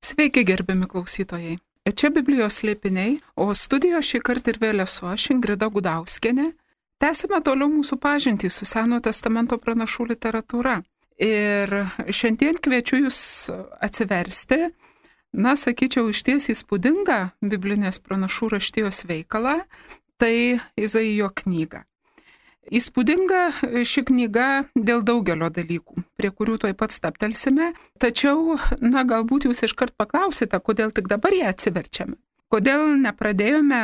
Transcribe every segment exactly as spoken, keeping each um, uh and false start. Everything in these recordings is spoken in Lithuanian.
Sveiki, gerbiami klausytojai. Čia Biblijos slėpiniai, o studijoje šį kartą ir vėl esu aš, Ingrida Gudauskienė. Tęsime toliau mūsų pažintį su Senojo testamento pranašų literatūra. Ir šiandien kviečiu jūs atsiversti, na, sakyčiau, išties įspūdingą biblinės pranašų raštijos veikalą, tai Izaijo knyga. Įspūdinga ši knyga dėl daugelio dalykų, prie kurių tuoj pat stabtelsime, tačiau, na, galbūt jūs iškart paklausite, kodėl tik dabar ją atsiverčiame. Kodėl nepradėjome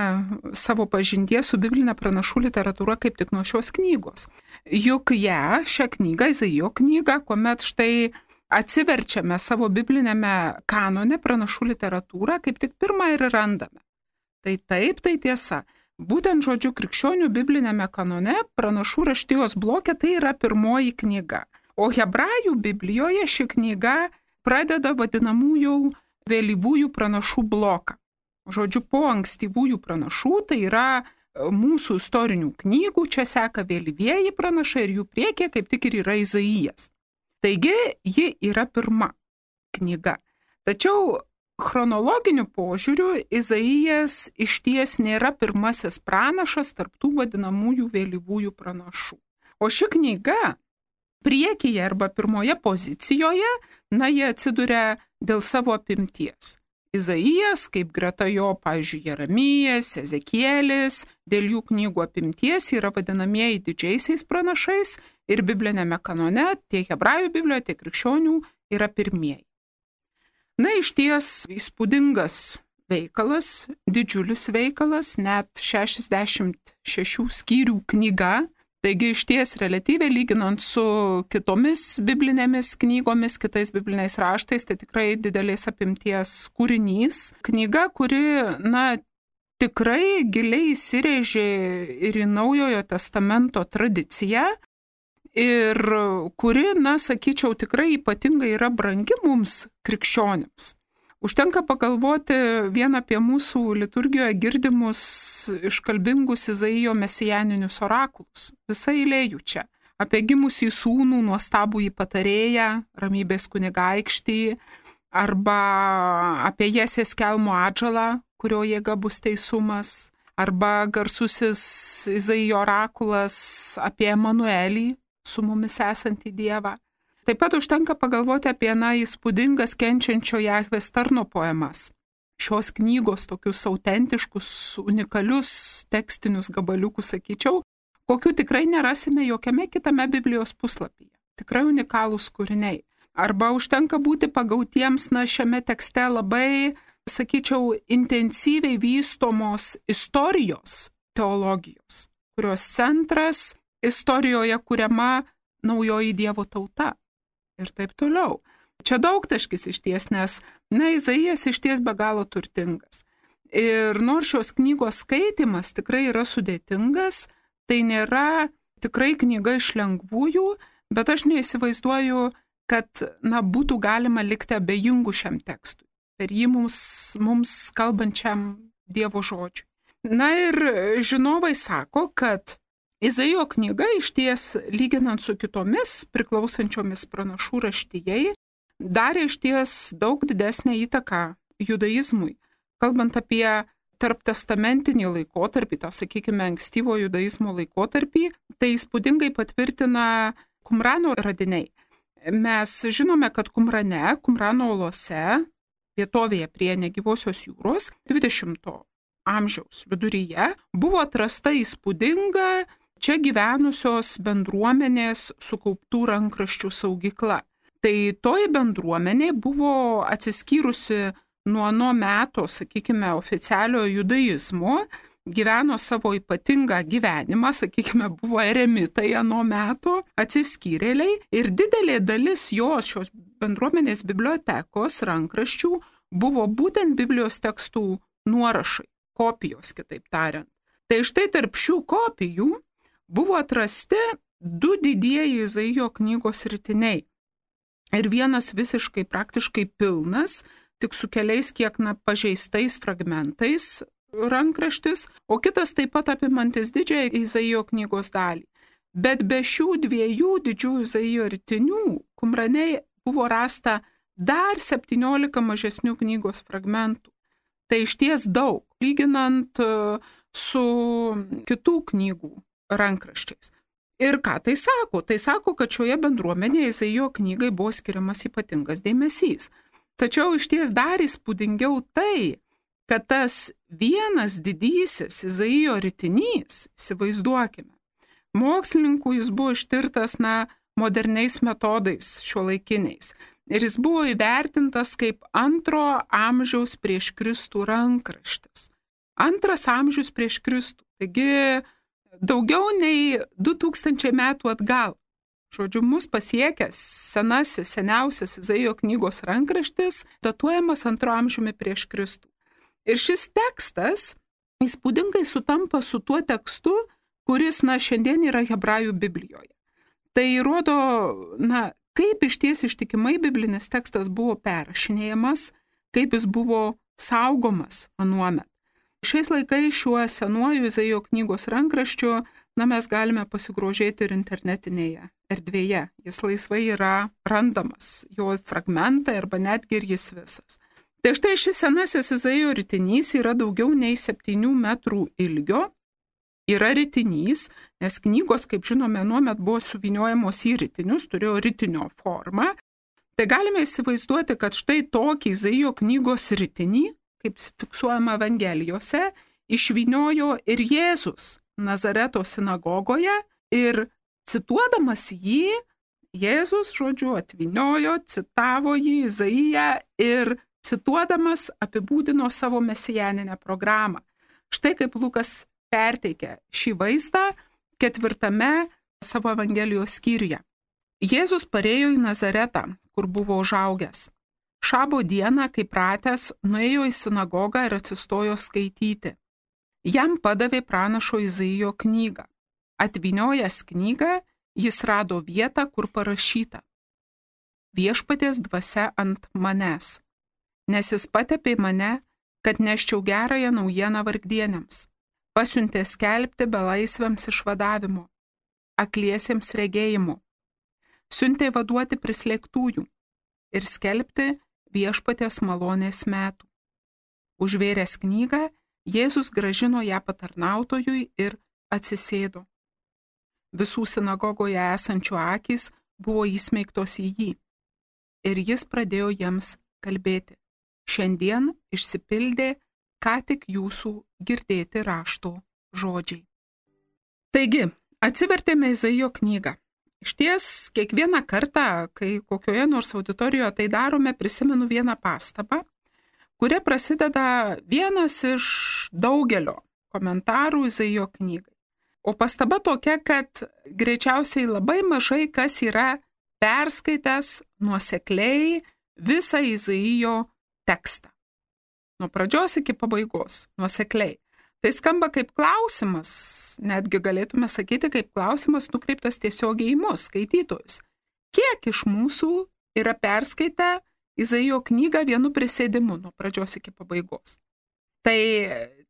savo pažinties su biblinė pranašų literatūra kaip tik nuo šios knygos. Juk ją, šią knygą, Izaijo knygą, kuomet štai atsiverčiame savo biblinėme kanone pranašų literatūrą, kaip tik pirmą ir randame. Tai taip, tai tiesa. Būtent žodžiu krikščionių biblinėme kanone pranašų raštijos bloke tai yra pirmoji knyga. O hebrajų Biblijoje ši knyga pradeda vadinamųjų vėlyvųjų pranašų bloką. Žodžiu, po ankstyvųjų pranašų, tai yra mūsų istorinių knygų, čia seka vėlyvieji pranašai ir jų priekyje kaip tik ir yra Izaijas. Taigi, ji yra pirma knyga. Tačiau chronologiniu požiūriu Izaijas išties nėra pirmasis pranašas tarp tų vadinamųjų vėlyvųjų pranašų. O ši knyga priekyje arba pirmoje pozicijoje, na, jie atsiduria dėl savo apimties. Izaijas, kaip greta jo, pavyzdžiui, Jeremijas, Ezekielis, dėl jų knygų apimties yra vadinamieji didžiaisiais pranašais ir biblinėme kanone, tiek hebrajų Biblijoje, tiek krikščionių yra pirmieji. Na, išties įspūdingas veikalas, didžiulis veikalas, net šešiasdešimt šešių skyrių knyga, taigi išties relatyviai lyginant su kitomis biblinėmis knygomis, kitais bibliniais raštais, tai tikrai didelės apimties kūrinys. Knyga, kuri, na, tikrai giliai įsirėžė ir į Naujojo testamento tradiciją, ir kuri, na, sakyčiau, tikrai ypatingai yra brangi mums krikščionims. Užtenka pagalvoti vien apie mūsų liturgijoje girdimus iškalbingus Izaijo mesijaninius orakulus. Visa eilė jų čia. Apie gimusį sūnų, nuostabųjį patarėją, ramybės kunigaikštį, arba apie Jesės kelmo atžalą, kurio jėga bus teisumas, arba garsusis Izaijo orakulas apie Emanuelį, su mumis esantį Dievą. Taip pat užtenka pagalvoti apie, na, įspūdingas kenčiančio Jahvės tarno poemas. Šios knygos tokius autentiškus, unikalius tekstinius gabaliukus, sakyčiau, kokių tikrai nerasime jokiame kitame Biblijos puslapyje. Tikrai unikalūs kūriniai. Arba užtenka būti pagautiems, na, šiame tekste labai, sakyčiau, intensyviai vystomos istorijos teologijos, kurios centras istorijoje kuriama naujoji Dievo tauta ir taip toliau. Čia daugtaškis išties, nes, na, Izaijas išties be galo turtingas. Ir nors šios knygos skaitimas tikrai yra sudėtingas, tai nėra tikrai knyga iš lengvųjų, bet aš neįsivaizduoju, kad, na, būtų galima likti abejingų šiam tekstui, per jį mums, mums kalbančiam Dievo žodžiui. Na ir žinovai sako, kad Izaijo knyga išties, lyginant su kitomis priklausančiomis pranašų raštijai, darė išties daug didesnę įtaką judaizmui. Kalbant apie tarptestamentinį laikotarpį, tą, sakykime, ankstyvo judaizmo laikotarpį, tai įspūdingai patvirtina Kumrano radiniai. Mes žinome, kad Kumrane, Kumrano olose, vietovėje prie negyvosios jūros, dvidešimto amžiaus viduryje, buvo atrasta įspūdinga čia gyvenusios bendruomenės sukauptų rankraščių saugykla. Tai toji bendruomenė buvo atsiskyrusi nuo nuo meto, sakykime, oficialiojo judaizmo, gyveno savo ypatingą gyvenimą, sakykime, buvo eremitai nuo meto, atsiskyrėliai ir didelė dalis jos šios bendruomenės bibliotekos rankraščių buvo būtent Biblijos tekstų nuorašai, kopijos, kitaip tariant. Tai štai tarp šių kopijų buvo atrasti du didieji Izaijo knygos ritiniai. Ir vienas visiškai praktiškai pilnas, tik su keliais kiek, na, pažeistais fragmentais rankraštis, o kitas taip pat apimantis didžiąją Izaijo knygos dalį. Bet be šių dviejų didžiųjų Izaijo ritinių Kumrane buvo rasta dar septyniolika mažesnių knygos fragmentų. Tai išties daug, lyginant su kitų knygų rankraščiais. Ir ką tai sako? Tai sako, kad šioje bendruomenėje Izaijo knygai buvo skiriamas ypatingas dėmesys. Tačiau išties dar įspūdingiau tai, kad tas vienas didysis Izaijo ritinys, įsivaizduokime, mokslininkų jis buvo ištirtas na, moderniais metodais šiuolaikiniais. Ir jis buvo įvertintas kaip antro amžiaus prieš Kristų rankraštis. Antras amžius prieš Kristų. Taigi daugiau nei du tūkstančiai metų atgal. Žodžiu, mus pasiekęs senasis, seniausias Izaijo knygos rankraštis datuojamas antro amžiumi prieš Kristų. Ir šis tekstas įspūdingai sutampa su tuo tekstu, kuris, na, šiandien yra Hebrajų Biblijoje. Tai rodo, na, kaip išties ištikimai biblinis tekstas buvo perrašinėjamas, kaip jis buvo saugomas anuomet. Šiais laikais šiuo senuoju Izaijo knygos rankraščiu, na, mes galime pasigrožėti ir internetinėje erdvėje. Jis laisvai yra randamas, jo fragmentai arba netgi ir jis visas. Tai štai šis senasis Izaijo ritinys yra daugiau nei septynių metrų ilgio. Yra ritinys, nes knygos, kaip žinome, nuomet buvo suvyniojamos į ritinius, turėjo ritinio formą. Tai galime įsivaizduoti, kad štai tokį Izaijo knygos ritinį, kaip fiksuojama Evangelijose, išvyniojo ir Jėzus Nazareto sinagogoje ir cituodamas jį, Jėzus, žodžiu, atvyniojo, citavo jį Izaiją ir cituodamas apibūdino savo mesijaninę programą. Štai kaip Lukas perteikia šį vaizdą ketvirtame savo Evangelijos skyriuje. Jėzus parėjo į Nazaretą, kur buvo užaugęs. Šabo dieną, kaip pratęs, nuėjo į sinagogą ir atsistojo skaityti. Jam padavė pranašo Izaijo knygą. Atvyniojęs knygą, jis rado vietą, kur parašyta: Viešpaties dvasia ant manęs, nes jis patepė mane, kad neščiau gerąją naujieną vargdieniams. Pasiuntė skelbti belaisviams išvadavimo, akliesiems regėjimo, siuntė vaduoti prislėgtųjų ir skelbti viešpaties malonės metų. Užvėręs knygą, Jėzus grąžino ją patarnautojui ir atsisėdo. Visų sinagogoje esančių akys buvo įsmeigtos į jį ir jis pradėjo jiems kalbėti: Šiandien išsipildė ką tik jūsų girdėti rašto žodžiai. Taigi, atsivertėme Izaijo knygą. Išties, kiekvieną kartą, kai kokioje nors auditorijoje tai darome, prisimenu vieną pastabą, kuria prasideda vienas iš daugelio komentarų Izaijo knygai. O pastaba tokia, kad greičiausiai labai mažai kas yra perskaitęs nuosekliai visą Izaijo tekstą. Nuo pradžios iki pabaigos, nuosekliai. Tai skamba kaip klausimas, netgi galėtume sakyti, kaip klausimas nukreiptas tiesiogiai į mus, skaitytojus. Kiek iš mūsų yra perskaitę Izaijo knygą vienu prisėdimu nuo pradžios iki pabaigos? Tai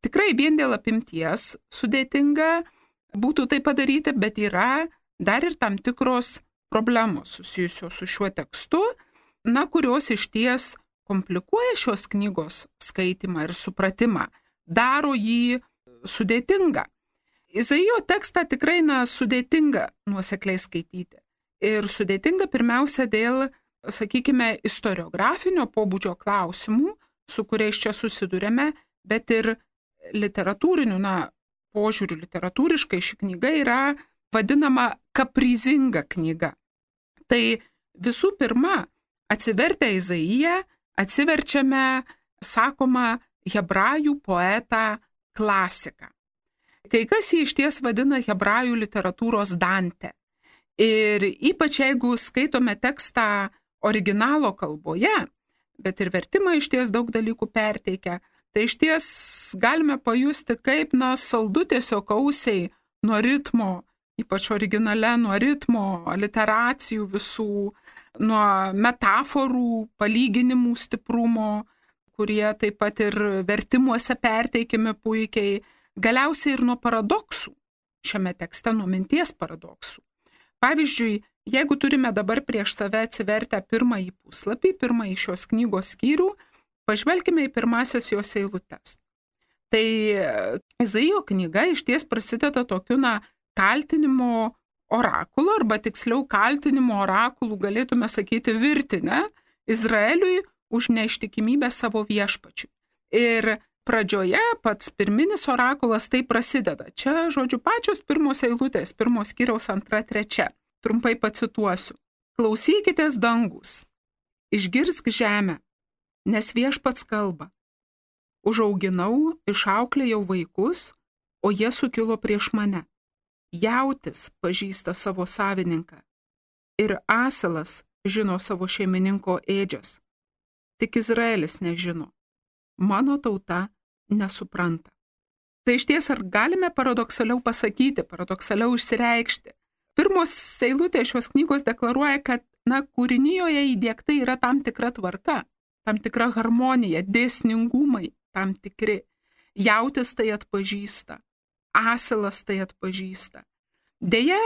tikrai vien dėl apimties sudėtinga būtų tai padaryti, bet yra dar ir tam tikros problemos susijusios su šiuo tekstu, na, kurios išties komplikuoja šios knygos skaitymą ir supratimą, daro jį sudėtingą. Izaijo tekstą tikrai, na, sudėtinga nuosekliai skaityti. Ir sudėtinga pirmiausia dėl, sakykime, istoriografinio pobūdžio klausimų, su kuriais čia susidurėme, bet ir literatūrinių, na, požiūrių literatūriškai ši knyga yra vadinama kaprizinga knyga. Tai visų pirma, atsivertę Izaiją, atsiverčiame, sakoma, hebrajų poetą klasiką. Kai kas jį išties vadina hebrajų literatūros Dante. Ir ypač jeigu skaitome tekstą originalo kalboje, bet ir vertimą išties daug dalykų perteikia, tai išties galime pajusti, kaip, na, saldu tiesiog ausiai nuo ritmo, ypač originale, nuo ritmo, aliteracijų visų, nuo metaforų, palyginimų stiprumo, kurie taip pat ir vertimuose perteikiami puikiai, galiausiai ir nuo paradoksų, šiame tekste nuo minties paradoksų. Pavyzdžiui, jeigu turime dabar prieš save atsivertę pirmąjį puslapį, pirmąjį šios knygos skyrių, pažvelkime į pirmasias jos eilutes. Tai Izaijo knyga išties prasideda tokiu, na, kaltinimo orakulu, arba tiksliau kaltinimo orakulų, galėtume sakyti, virtinę Izraeliui už neištikimybę savo viešpačiui. Ir pradžioje pats pirminis orakulas tai prasideda. Čia, žodžiu, pačios pirmos eilutės, pirmos skyriaus antra, trečia. Trumpai pacituosiu. Klausykitės dangus, išgirsk žemę, nes viešpats kalba. Užauginau, išauklėjau vaikus, o jie sukilo prieš mane. Jautis pažįsta savo savininką ir asilas žino savo šeimininko ėdžias. Tik Izraelis nežino. Mano tauta nesupranta. Tai išties ar galime paradoksaliau pasakyti, paradoksaliau išsireikšti? Pirmos eilutės šios knygos deklaruoja, kad, na, kūrinijoje įdiegta yra tam tikra tvarka, tam tikra harmonija, dėsningumai tam tikri. Jautis tai atpažįsta, asilas tai atpažįsta. Deja,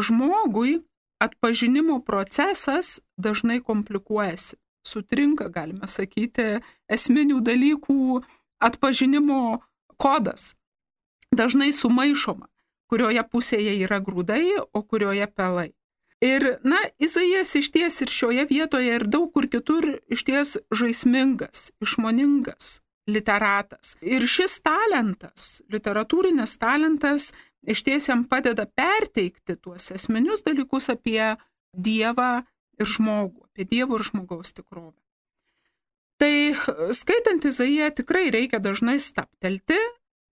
žmogui atpažinimo procesas dažnai komplikuojasi. Sutrinka, galime sakyti, esminių dalykų atpažinimo kodas. Dažnai sumaišoma, kurioje pusėje yra grūdai, o kurioje pelai. Ir, na, Izaijas išties ir šioje vietoje ir daug kur kitur išties žaismingas, išmoningas literatas. Ir šis talentas, literatūrinis talentas, išties jam padeda perteikti tuos esminius dalykus apie Dievą ir žmogų, apie Dievo ir žmogaus tikrovę. Tai skaitant Izaiją tikrai reikia dažnai stabtelti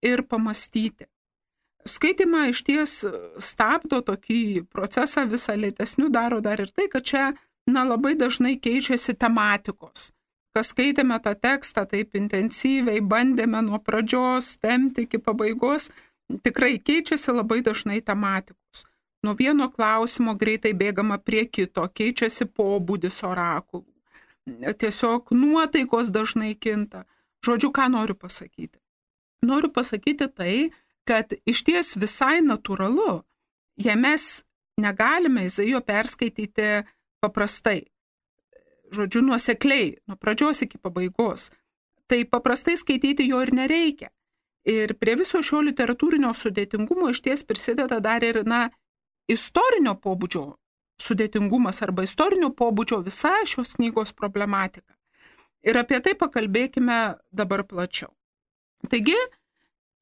ir pamastyti. Skaitimą išties stabdo tokį procesą visą lėtesnių, daro dar ir tai, kad čia, na, labai dažnai keičiasi tematikos. Kas skaitėme tą tekstą taip intensyviai, bandėme nuo pradžios tempti iki pabaigos, tikrai keičiasi labai dažnai tematikos. Nuo vieno klausimo greitai bėgama prie kito, keičiasi pobūdis orakulų. Tiesiog nuotaikos dažnai kinta. Žodžiu, ką noriu pasakyti? Noriu pasakyti tai, kad išties visai natūralu, jei mes negalime Izaijo perskaityti paprastai, žodžiu, nuosekliai, nuo pradžios iki pabaigos, tai paprastai skaityti jo ir nereikia. Ir prie viso šio literatūrinio sudėtingumo išties prisideda dar ir, na, istorinio pobūdžio sudėtingumas arba istorinio pobūdžio visa šios knygos problematika. Ir apie tai pakalbėkime dabar plačiau. Taigi,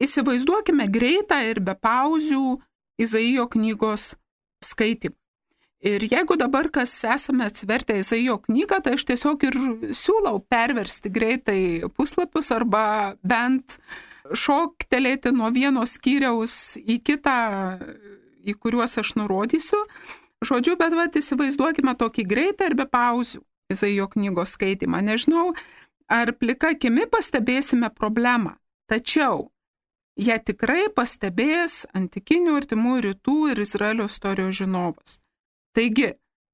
įsivaizduokime greitą ir be pauzių Izaijo knygos skaitimą. Ir jeigu dabar kas esame atsivertę Izaijo knygą, tai aš tiesiog ir siūlau perversti greitai puslapius arba bent šoktelėti nuo vieno skyriaus į kitą, į kuriuos aš nurodysiu. Žodžiu, bet vat, įsivaizduokime tokį greitą ir be pauzių Izaijo knygos skaitimą. Nežinau, ar plika akimi pastebėsime problemą, tačiau ją tikrai pastebės antikinių artimų rytų ir Izraelio istorijos žinovas. Taigi,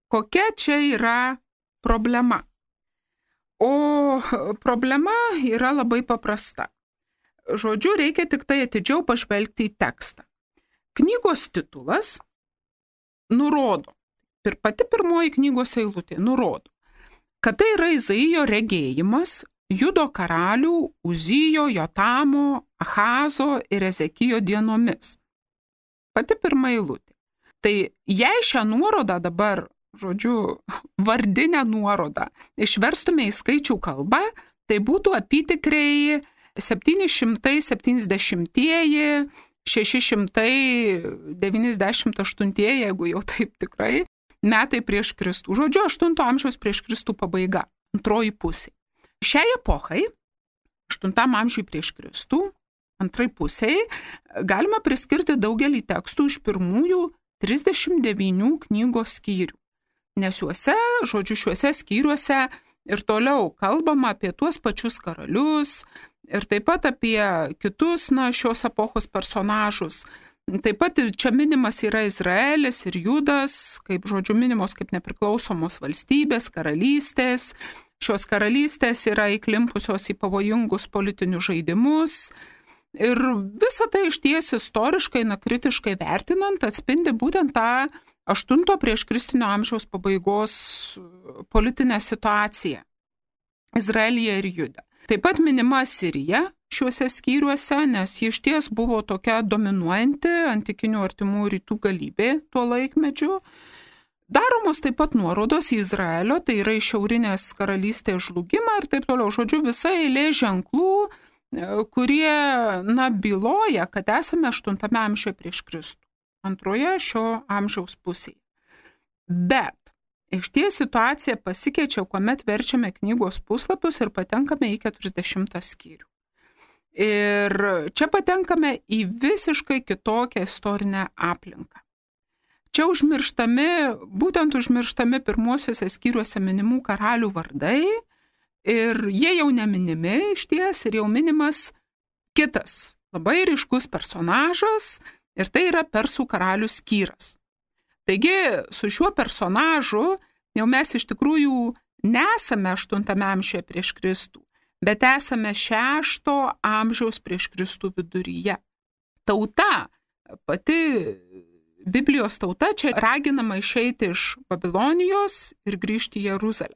kokia čia yra problema? O problema yra labai paprasta. Žodžiu, reikia tik tai atidžiau pažvelgti į tekstą. Knygos titulas nurodo, ir pati pirmoji knygos eilutė nurodo, kad tai yra Izaijo regėjimas Judo karalių Uzijo, Jotamo, Ahazo ir Ezekijo dienomis. Pati pirma eilutė. Tai jei šią nuorodą dabar, žodžiu, vardinę nuorodą išverstume į skaičių kalbą, tai būtų apytikriai septyni šimtai septyniasdešimtieji, šeši šimtai devyniasdešimt aštuntieji, jeigu jau taip tikrai, metai prieš Kristų. Žodžiu, aštunto amžiaus prieš Kristų pabaiga, antroji pusė. Šiai epochai, aštuntam amžiui prieš Kristų, antrai pusiai, galima priskirti daugelį tekstų iš pirmųjų trisdešimt devynių knygos skyrių. Nes juose, žodžiu, šiuose skyriuose ir toliau kalbama apie tuos pačius karalius ir taip pat apie kitus, na, šios epochos personažus. Taip pat čia minimas yra Izraelis ir Judas, kaip, žodžiu, minimos kaip nepriklausomos valstybės, karalystės. Šios karalystės yra įklimpusios į pavojingus politinius žaidimus. Ir visą tai išties istoriškai, na, kritiškai vertinant, atspindi būtent tą aštunto prieš Kristinio amžiaus pabaigos politinę situaciją Izraelyje ir Jude. Taip pat minima Sirija šiuose skyriuose, nes ji išties buvo tokia dominuojanti antikinių artimų rytų galybė tuo laikmečiu. Daromos taip pat nuorodos į Izraelio, tai yra į šiaurinės karalystės žlugimą ir taip toliau. Žodžiu, visa eilė ženklų, kurie, na, byloja, kad esame aštuntame amžiuje prieš Kristų, antroje šio amžiaus pusėje. Bet išties situacija pasikeičia, kuomet verčiame knygos puslapius ir patenkame į keturiasdešimtą skyrių. Ir čia patenkame į visiškai kitokią istorinę aplinką. Čia užmirštami, būtent užmirštami pirmuosiuose skyriuose minimų karalių vardai ir jie jau neminimi išties ir jau minimas kitas labai ryškus personažas ir tai yra Persų karalius Kyras. Taigi su šiuo personažu jau mes iš tikrųjų nesame aštuntame amžiuje prieš Kristų, bet esame šešto amžiaus prieš Kristų viduryje. Tauta, pati Biblijos tauta čia raginama išeiti iš Babilonijos ir grįžti į Jeruzalę.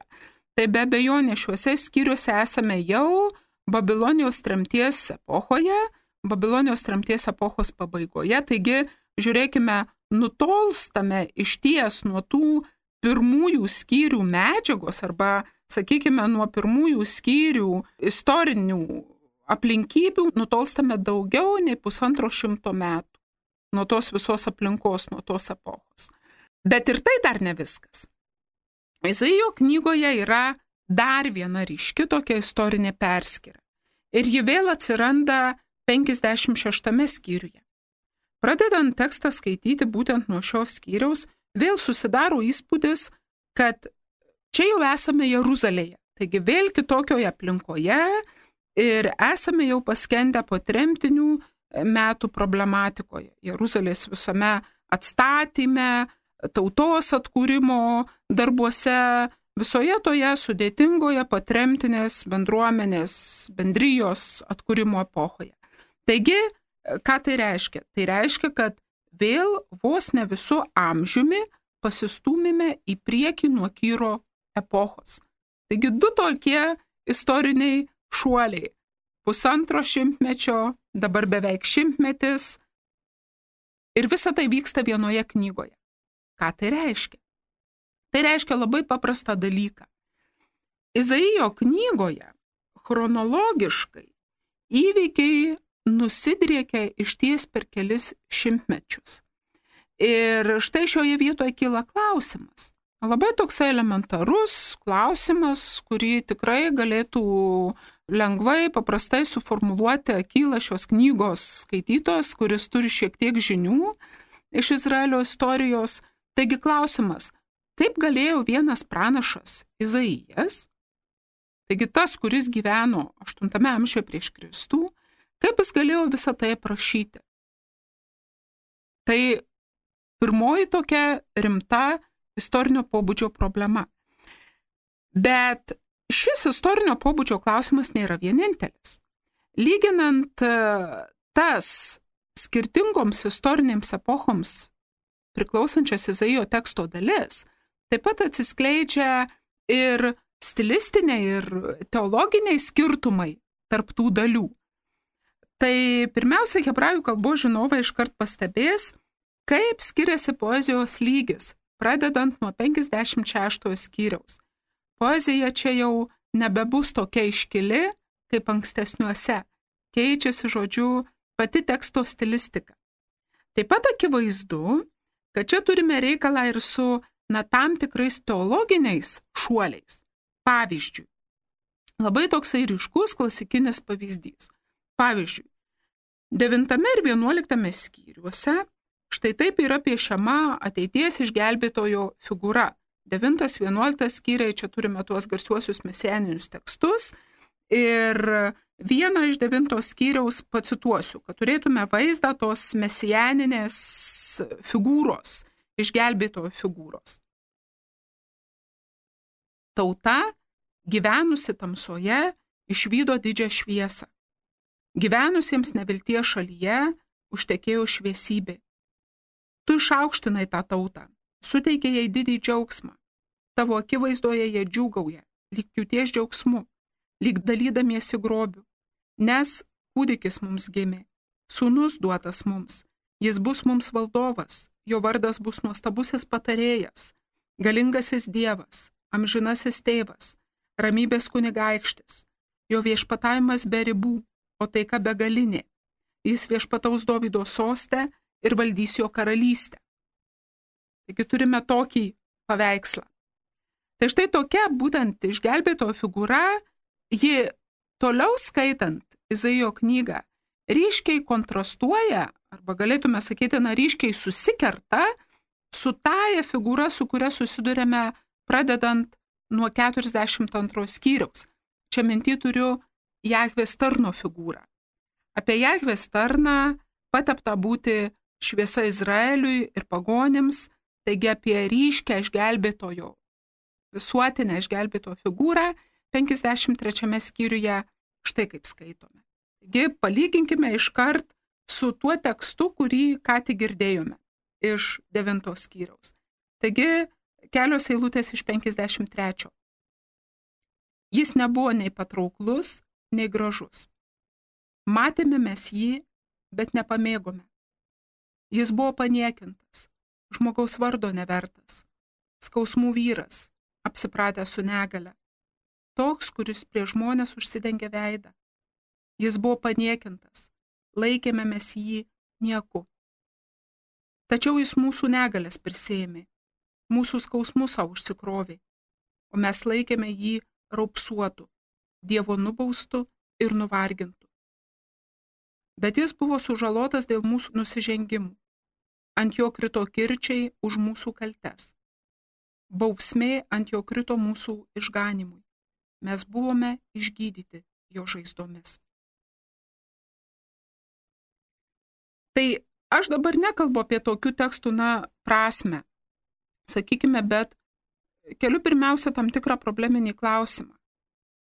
Tai be abejonės šiuose skyriuose esame jau Babilonijos tremties epochoje, Babilonijos tremties epochos pabaigoje, taigi žiūrėkime, nutolstame išties nuo tų pirmųjų skyrių medžiagos arba, sakykime, nuo pirmųjų skyrių istorinių aplinkybių, nutolstame daugiau nei pusantro šimto metų nuo tos visos aplinkos, nuo tos epochos. Bet ir tai dar ne viskas. Izaijo knygoje yra dar viena ryški tokia istorinė perskyra. Ir ji vėl atsiranda penkiasdešimt šeštame skyriuje. Pradedant tekstą skaityti būtent nuo šios skyriaus, vėl susidaro įspūdis, kad čia jau esame Jeruzalėje, taigi vėl kitokioje aplinkoje ir esame jau paskendę po tremtinių metų problematikoje. Jeruzalės visame atstatyme, tautos atkūrimo darbuose, visoje toje sudėtingoje patremtinės bendruomenės, bendrijos atkūrimo epochoje. Taigi, ką tai reiškia? Tai reiškia, kad vėl vos ne visų amžiumi pasistūmime į priekį nuo Kyro epochos. Taigi du tokie istoriniai šuoliai. Pusantro šimtmečio, dabar beveik šimtmetis. Ir visa tai vyksta vienoje knygoje. Ką tai reiškia? Tai reiškia labai paprastą dalyką. Izaijo knygoje chronologiškai įvykiai nusidriekia išties per kelis šimtmečius. Ir štai šioje vietoje kyla klausimas. Labai toks elementarus klausimas, kurį tikrai galėtų lengvai, paprastai suformuluoti akyla šios knygos skaitytojas, kuris turi šiek tiek žinių iš Izraelio istorijos. Taigi klausimas, kaip galėjo vienas pranašas Izaijas, taigi tas, kuris gyveno aštuntame amžiuje prieš Kristų, kaip jis galėjo visą tai aprašyti? Tai pirmoji tokia rimta istorinio pobūdžio problema. Bet šis istorinio pobūdžio klausimas nėra vienintelis. Lyginant tas skirtingoms istorinėms epochoms priklausančias Izaijo teksto dalis, taip pat atsiskleidžia ir stilistiniai, ir teologiniai skirtumai tarp tų dalių. Tai pirmiausia, hebrajų kalbos žinovai iškart pastebės, kaip skiriasi poezijos lygis, pradedant nuo penkiasdešimt šeštojo skyriaus. Poezija čia jau nebebus tokia iškili, kaip ankstesniuose. Keičiasi, žodžiu, pati teksto stilistika. Taip pat akivaizdu, kad čia turime reikalą ir su na, tam tikrais teologiniais šuoliais. Pavyzdžiui, labai toksai ryškus klasikinis pavyzdys. Pavyzdžiui, devintame ir vienuoliktame skyriuose štai taip yra piešiama ateities išgelbėtojo figūra. Devintas, vienuoliktas skyriai, čia turime tuos garsiuosius mesianinius tekstus. Ir vieną iš devintos skyriaus pacituosiu, kad turėtume vaizdą tos mesianinės figūros, išgelbėtojo figūros. Tauta, gyvenusi tamsoje, išvydo didžią šviesą. Gyvenusiems nevilties šalyje užtekėjo šviesybė. Tu išaukštinai tą tautą, suteikia jai didį džiaugsmą. Tavo akivaizdoje jie džiūgauja, lyg pjūties džiaugsmu, lyg dalydamiesi grobiu. Nes kūdikis mums gimė, sūnus duotas mums, jis bus mums valdovas, jo vardas bus nuostabusis patarėjas, galingasis Dievas, amžinasis tėvas, ramybės kunigaikštis, jo viešpatavimas be ribų, o taika begalinė. Jis viešpataus Dovydo soste ir valdys jo karalystę. Taigi turime tokį paveikslą. Tai štai tokia būtent išgelbėtojo figūra, ji toliau skaitant Izaijo knygą ryškiai kontrastuoja, arba galėtume sakyti, na, ryškiai susikerta su taja figūra, su kuria susidurėme pradedant nuo keturiasdešimt antros skyriaus. Čia mintį turiu Jahvės tarno figūrą. Apie Jahvės tarną pateptą būti šviesa Izraeliui ir pagonims, taigi apie ryškę išgelbėtojo, visuotinę išgelbėtojo figūrą penkiasdešimt trečiame skyriuje štai kaip skaitome. Taigi palyginkime iškart su tuo tekstu, kurį ką tik girdėjome iš devintos skyriaus. Taigi kelios eilutės iš penkiasdešimt trečio. Jis nebuvo nei patrauklus, nei gražus. Matėme mes jį, bet nepamėgome. Jis buvo paniekintas, žmogaus vardo nevertas, skausmų vyras, apsipratęs su negale, toks, kuris prie žmonės užsidengia veidą. Jis buvo paniekintas, laikėme mes jį nieku. Tačiau jis mūsų negalės prisėmė, mūsų skausmų savo užsikrovė, o mes laikėme jį raupsuotų, Dievo nubaustų ir nuvargintų. Bet jis buvo sužalotas dėl mūsų nusižengimų, ant jo krito kirčiai už mūsų kaltes. Bausmė ant jo krito mūsų išganimui, mes buvome išgydyti jo žaizdomis. Tai aš dabar nekalbu apie tokių tekstų, na, prasme, sakykime, bet keliu pirmiausia tam tikrą probleminį klausimą.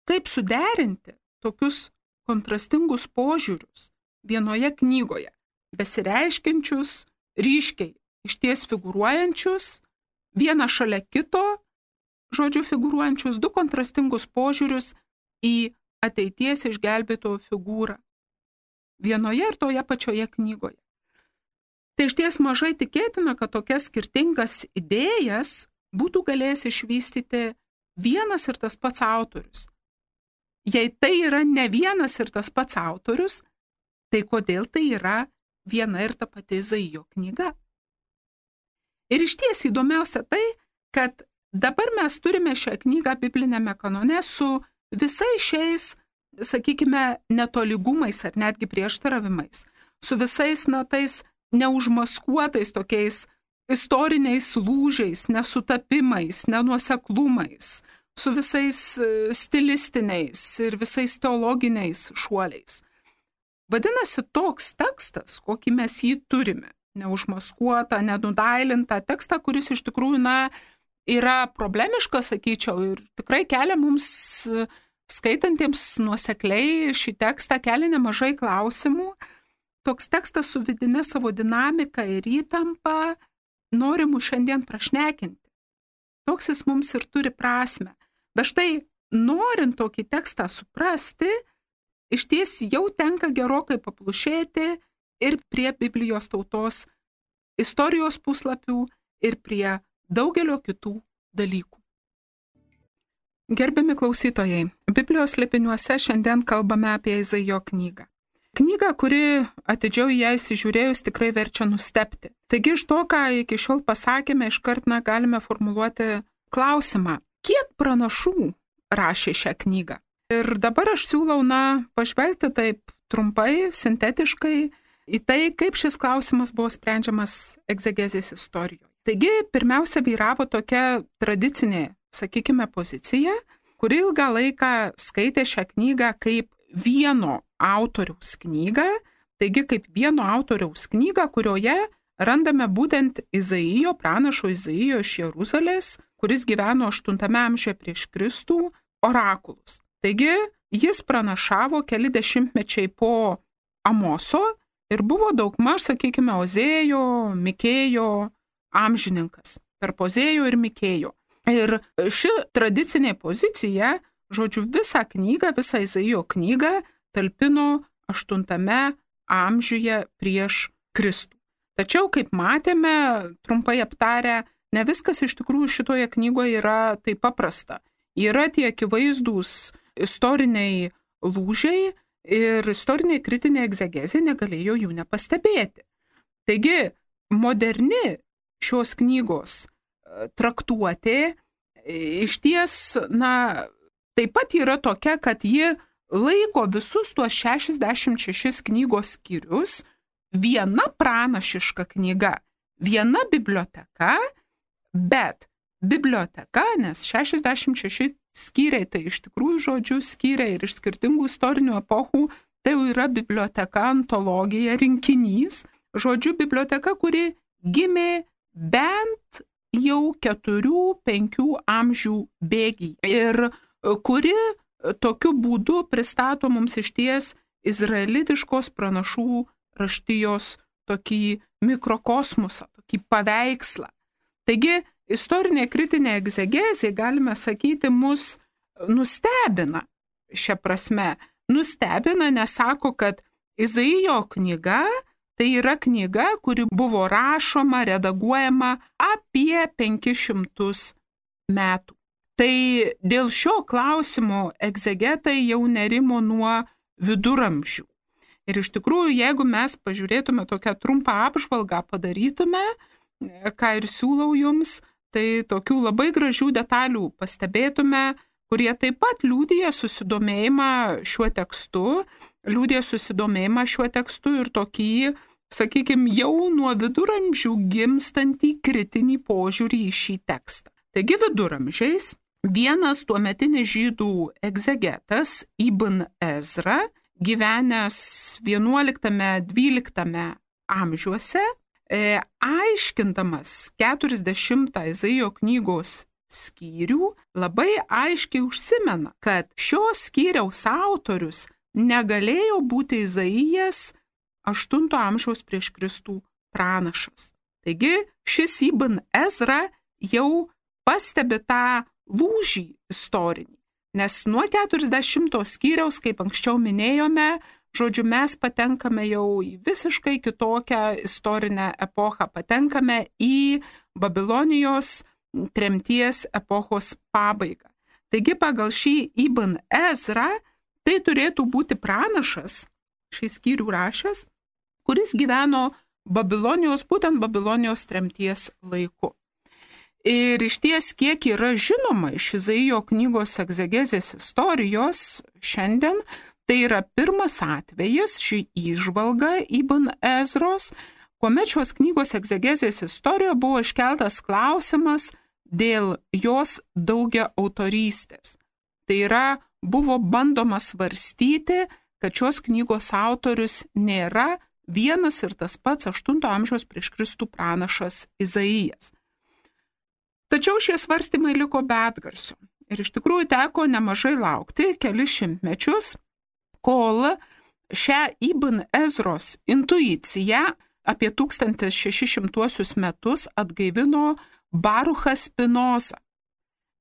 Kaip suderinti tokius kontrastingus požiūrius vienoje knygoje, besireiškiančius, ryškiai, išties figūruojančius, vieną šalia kito, žodžiu, figūruojančius du kontrastingus požiūrius į ateities išgelbėtojo figūrą. Vienoje ir toje pačioje knygoje. Tai išties mažai tikėtina, kad tokias skirtingas idėjas būtų galėjęs išvystyti vienas ir tas pats autorius. Jei tai yra ne vienas ir tas pats autorius, tai kodėl tai yra viena ir ta pati Izaijo knyga? Ir išties įdomiausia tai, kad dabar mes turime šią knygą biblinėme kanone su visais šiais, sakykime, netolygumais ar netgi prieštaravimais, su visais, na, tais neužmaskuotais tokiais istoriniais lūžiais, nesutapimais, nenuoseklumais, su visais stilistiniais ir visais teologiniais šuoliais. Vadinasi, toks tekstas, kokį mes jį turime, neužmaskuotą, nenudailintą tekstą, kuris iš tikrųjų, na, yra problemiškas, sakyčiau, ir tikrai kelia mums, skaitantiems nuosekliai šį tekstą, kelia nemažai klausimų. Toks tekstas su vidine savo dinamika ir įtampa nori mus šiandien prašnekinti. Toks jis mums ir turi prasmę. Bet štai, norint tokį tekstą suprasti, išties jau tenka gerokai paplušėti ir prie Biblijos tautos istorijos puslapių ir prie daugelio kitų dalykų. Gerbiami klausytojai, Biblijos slėpiniuose šiandien kalbame apie Izaijo knygą. Knyga, kuri atidžiau ją įsižiūrėjus tikrai verčia nustebti. Taigi iš to, ką iki šiol pasakėme, iškart na, galime formuluoti klausimą, kiek pranašų rašė šią knygą. Ir dabar aš siūlau, na, pažvelgti taip trumpai, sintetiškai į tai, kaip šis klausimas buvo sprendžiamas egzegezės istorijoje. Taigi, pirmiausia, vyravo tokia tradicinė, sakykime, pozicija, kuri ilgą laiką skaitė šią knygą kaip vieno autoriaus knygą, taigi kaip vieno autoriaus knygą, kurioje randame būtent Izaijo, pranašo Izaijo iš Jeruzalės, kuris gyveno aštuntame amžiuje prieš Kristų, orakulus. Taigi, jis pranašavo keli dešimtmečiai po Amoso ir buvo daugmaž, sakykime, Ozėjo, Mikėjo amžininkas. tarp Ozėjo ir Mikėjo. Ir ši tradicinė pozicija, žodžiu, visą knygą, visą Izaijo knygą talpino aštuntame amžiuje prieš Kristų. Tačiau, kaip matėme, trumpai aptarę, ne viskas iš tikrųjų šitoje knygoje yra taip paprasta. Yra tie akivaizdūs istoriniai lūžiai ir istorinė kritinė egzegezė negalėjo jų nepastebėti. Taigi, moderni šios knygos traktuotė iš ties, na, taip pat yra tokia, kad ji laiko visus tuos šešiasdešimt šešis knygos skyrius viena pranašiška knyga, viena biblioteka, bet biblioteka, nes šešiasdešimt šeši skyriai, tai iš tikrųjų žodžių skyriai ir iš skirtingų istorinių epochų, tai jau yra biblioteka, antologija, rinkinys, žodžiu biblioteka, kuri gimė bent jau keturių, penkių amžių bėgyje ir kuri tokiu būdu pristato mums išties izraelitiškos pranašų raštijos tokį mikrokosmosą, tokį paveikslą. Taigi, istorinė kritinė egzegezė, galime sakyti, mus nustebina šia prasme. Nustebina, nes sako, kad Izaijo knyga tai yra knyga, kuri buvo rašoma, redaguojama apie penkis šimtus metų. Tai dėl šio klausimo egzegetai jau nerimo nuo viduramžių. Ir iš tikrųjų, jeigu mes pažiūrėtume tokią trumpą apžvalgą, padarytume, ką ir siūlau jums, tai tokių labai gražių detalių pastebėtume, kurie taip pat liudija susidomėjimą šiuo tekstu, liudija susidomėjimą šiuo tekstu ir tokį, sakykime, jau nuo viduramžių gimstantį kritinį požiūrį į šį tekstą. Taigi viduramžiais vienas tuometinis žydų egzegetas Ibn Ezra, gyvenęs vienuoliktame dvyliktame amžiuose, e, aiškindamas keturiasdešimtą Izaijo knygos skyrių, labai aiškiai užsimena, kad šios skyriaus autorius negalėjo būti Izaijas aštunto amžiaus prieš Kristų pranašas. Taigi šis Ibn Ezra jau pastebi tą lūžį istorinį, nes nuo keturiasdešimto skyriaus, kaip anksčiau minėjome, žodžiu, mes patenkame jau į visiškai kitokią istorinę epochą, patenkame į Babilonijos tremties epochos pabaigą. Taigi pagal šį Ibn Ezra tai turėtų būti pranašas, šį skyrių rašęs, kuris gyveno Babilonijos, būtent Babilonijos tremties laiku. Ir iš ties, kiek yra žinoma iš Izaijo knygos egzegezės istorijos šiandien, tai yra pirmas atvejis, ši įžvalga Ibn Ezros, kuomet šios knygos egzegezės istorijoje buvo iškeltas klausimas dėl jos daugia autorystės. Tai yra, buvo bandoma svarstyti, kad šios knygos autorius nėra vienas ir tas pats aštunto amžiaus prieš Kristų pranašas Izaijas. Tačiau šie svarstymai liko be atgarsio. Ir iš tikrųjų teko nemažai laukti, kelis šimtmečius, kol šią Ibn Ezros intuiciją apie tūkstantis šeši šimtuosius metus atgaivino Baruchas Spinoza.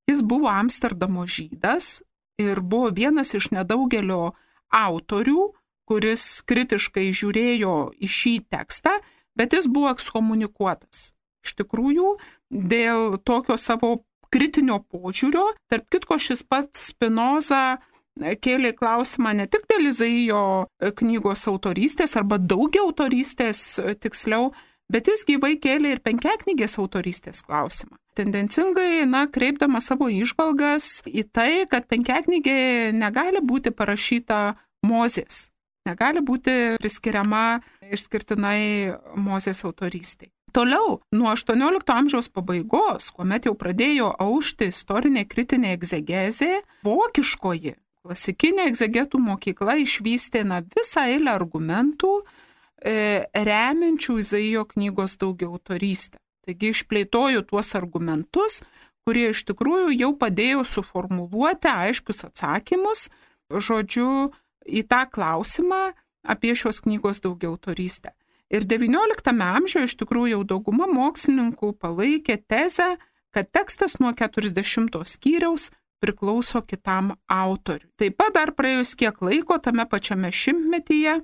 Jis buvo Amsterdamo žydas ir buvo vienas iš nedaugelio autorių, kuris kritiškai žiūrėjo į šį tekstą, bet jis buvo ekskomunikuotas. Iš tikrųjų, dėl tokio savo kritinio požiūrio, tarp kitko šis pats Spinoza kėlė klausimą ne tik dėl Izaijo knygos autorystės arba daugia autorystės tiksliau, bet jis gyvai kėlė ir penkiaknygės autorystės klausimą. Tendencingai, na, kreipdama savo įžvalgas į tai, kad penkiaknygė negali būti parašyta Mozės, negali būti priskiriama išskirtinai Mozės autorystei. Toliau, nuo aštuoniolikto amžiaus pabaigos, kuomet jau pradėjo aušti istorinė kritinė egzegezė, vokiškoji klasikinė egzegetų mokykla išvystė na, visą eilę argumentų e, remiančių Izaijo knygos daugiautorystę. Taigi išplėtojo tuos argumentus, kurie iš tikrųjų jau padėjo suformuluoti aiškius atsakymus, žodžiu, į tą klausimą apie šios knygos daugiautorystę. Ir devynioliktame amžiuje iš tikrųjų jau dauguma mokslininkų palaikė tezę, kad tekstas nuo keturiasdešimto skyriaus priklauso kitam autoriui. Taip pat dar praėjus kiek laiko tame pačiame šimtmetyje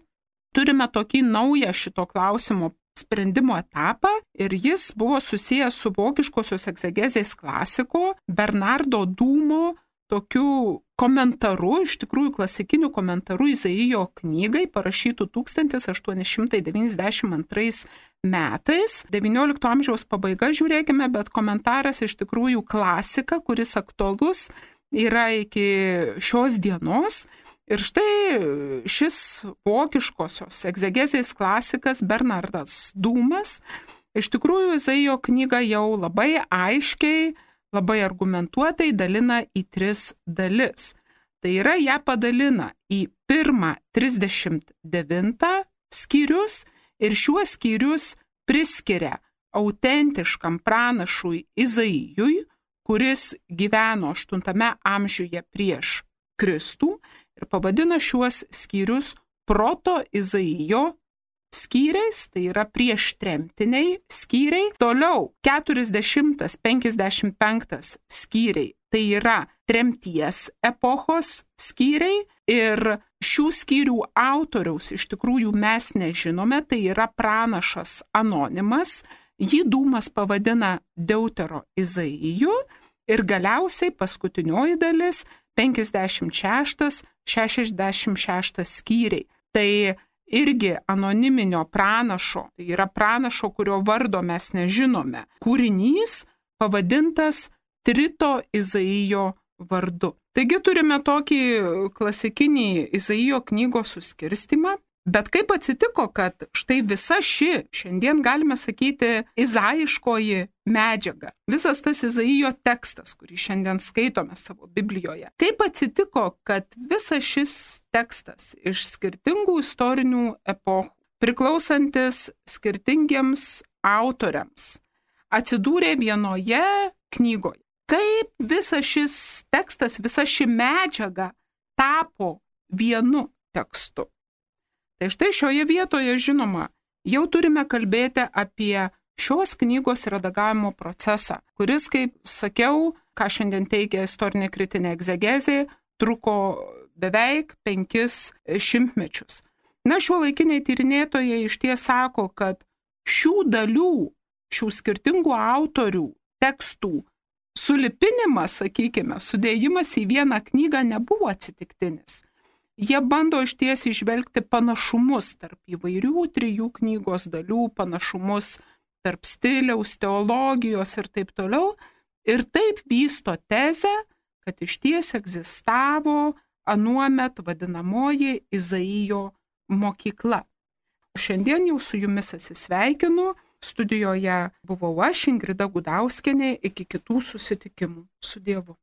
turime tokį naują šito klausimo sprendimo etapą ir jis buvo susijęs su vokiškosios egzegezės klasiko Bernardo Dūmo tokiu komentaru, iš tikrųjų klasikiniu komentaru Izaijo knygai, parašytų tūkstantis aštuoni šimtai devyniasdešimt antrais metais. devyniolikto amžiaus pabaiga, žiūrėkime, bet komentaras iš tikrųjų klasika, kuris aktualus yra iki šios dienos. Ir štai šis vokiškosios egzegezės klasikas Bernardas Dūmas iš tikrųjų Izaijo knygą jau labai aiškiai, labai argumentuotai dalina į tris dalis. Tai yra, ją padalina į pirmą trisdešimt devintą skyrius ir šiuos skyrius priskiria autentiškam pranašui Izaijui, kuris gyveno aštuntame amžiuje prieš Kristų ir pavadina šiuos skyrius proto Izaijo skyriais, tai yra prieš tremtiniai skyriai. Toliau keturiasdešimtas penkiasdešimt penktas skyriai, tai yra tremties epochos skyriai ir šių skyrių autoriaus iš tikrųjų mes nežinome, tai yra pranašas anonimas, jį Dūmas pavadina Deutero Izaiju ir galiausiai paskutinioji dalis penkiasdešimt šeštas šešiasdešimt šeštas skyriai. Tai irgi anoniminio pranašo, tai yra pranašo, kurio vardo mes nežinome, kūrinys pavadintas Trito Izaijo vardu. Taigi turime tokį klasikinį Izaijo knygos suskirstymą, bet kaip atsitiko, kad štai visa ši, šiandien galime sakyti, izaiškoji medžiaga, visas tas Izaijo tekstas, kurį šiandien skaitome savo Biblijoje, kaip atsitiko, kad visas šis tekstas iš skirtingų istorinių epochų, priklausantis skirtingiems autoriams, atsidūrė vienoje knygoje. Kaip visas šis tekstas, visa ši medžiaga tapo vienu tekstu. Tai štai šioje vietoje, žinoma, jau turime kalbėti apie šios knygos redagavimo procesą, kuris, kaip sakiau, ką šiandien teigia istorinė kritinė egzegezė, truko beveik penkis šimtmečius. Na, šiuolaikiniai tyrinėtojai išties sako, kad šių dalių, šių skirtingų autorių tekstų sulipinimas, sakykime, sudėjimas į vieną knygą nebuvo atsitiktinis. Jie bando išties įžvelgti panašumus tarp įvairių trijų knygos dalių, panašumus tarp stiliaus, teologijos ir taip toliau. Ir taip vysto tezę, kad išties egzistavo anuomet vadinamoji Izaijo mokykla. Šiandien jau su jumis atsisveikinu. Studijoje buvau aš, Ingrida Gudauskienė, iki kitų susitikimų. Su Dievu.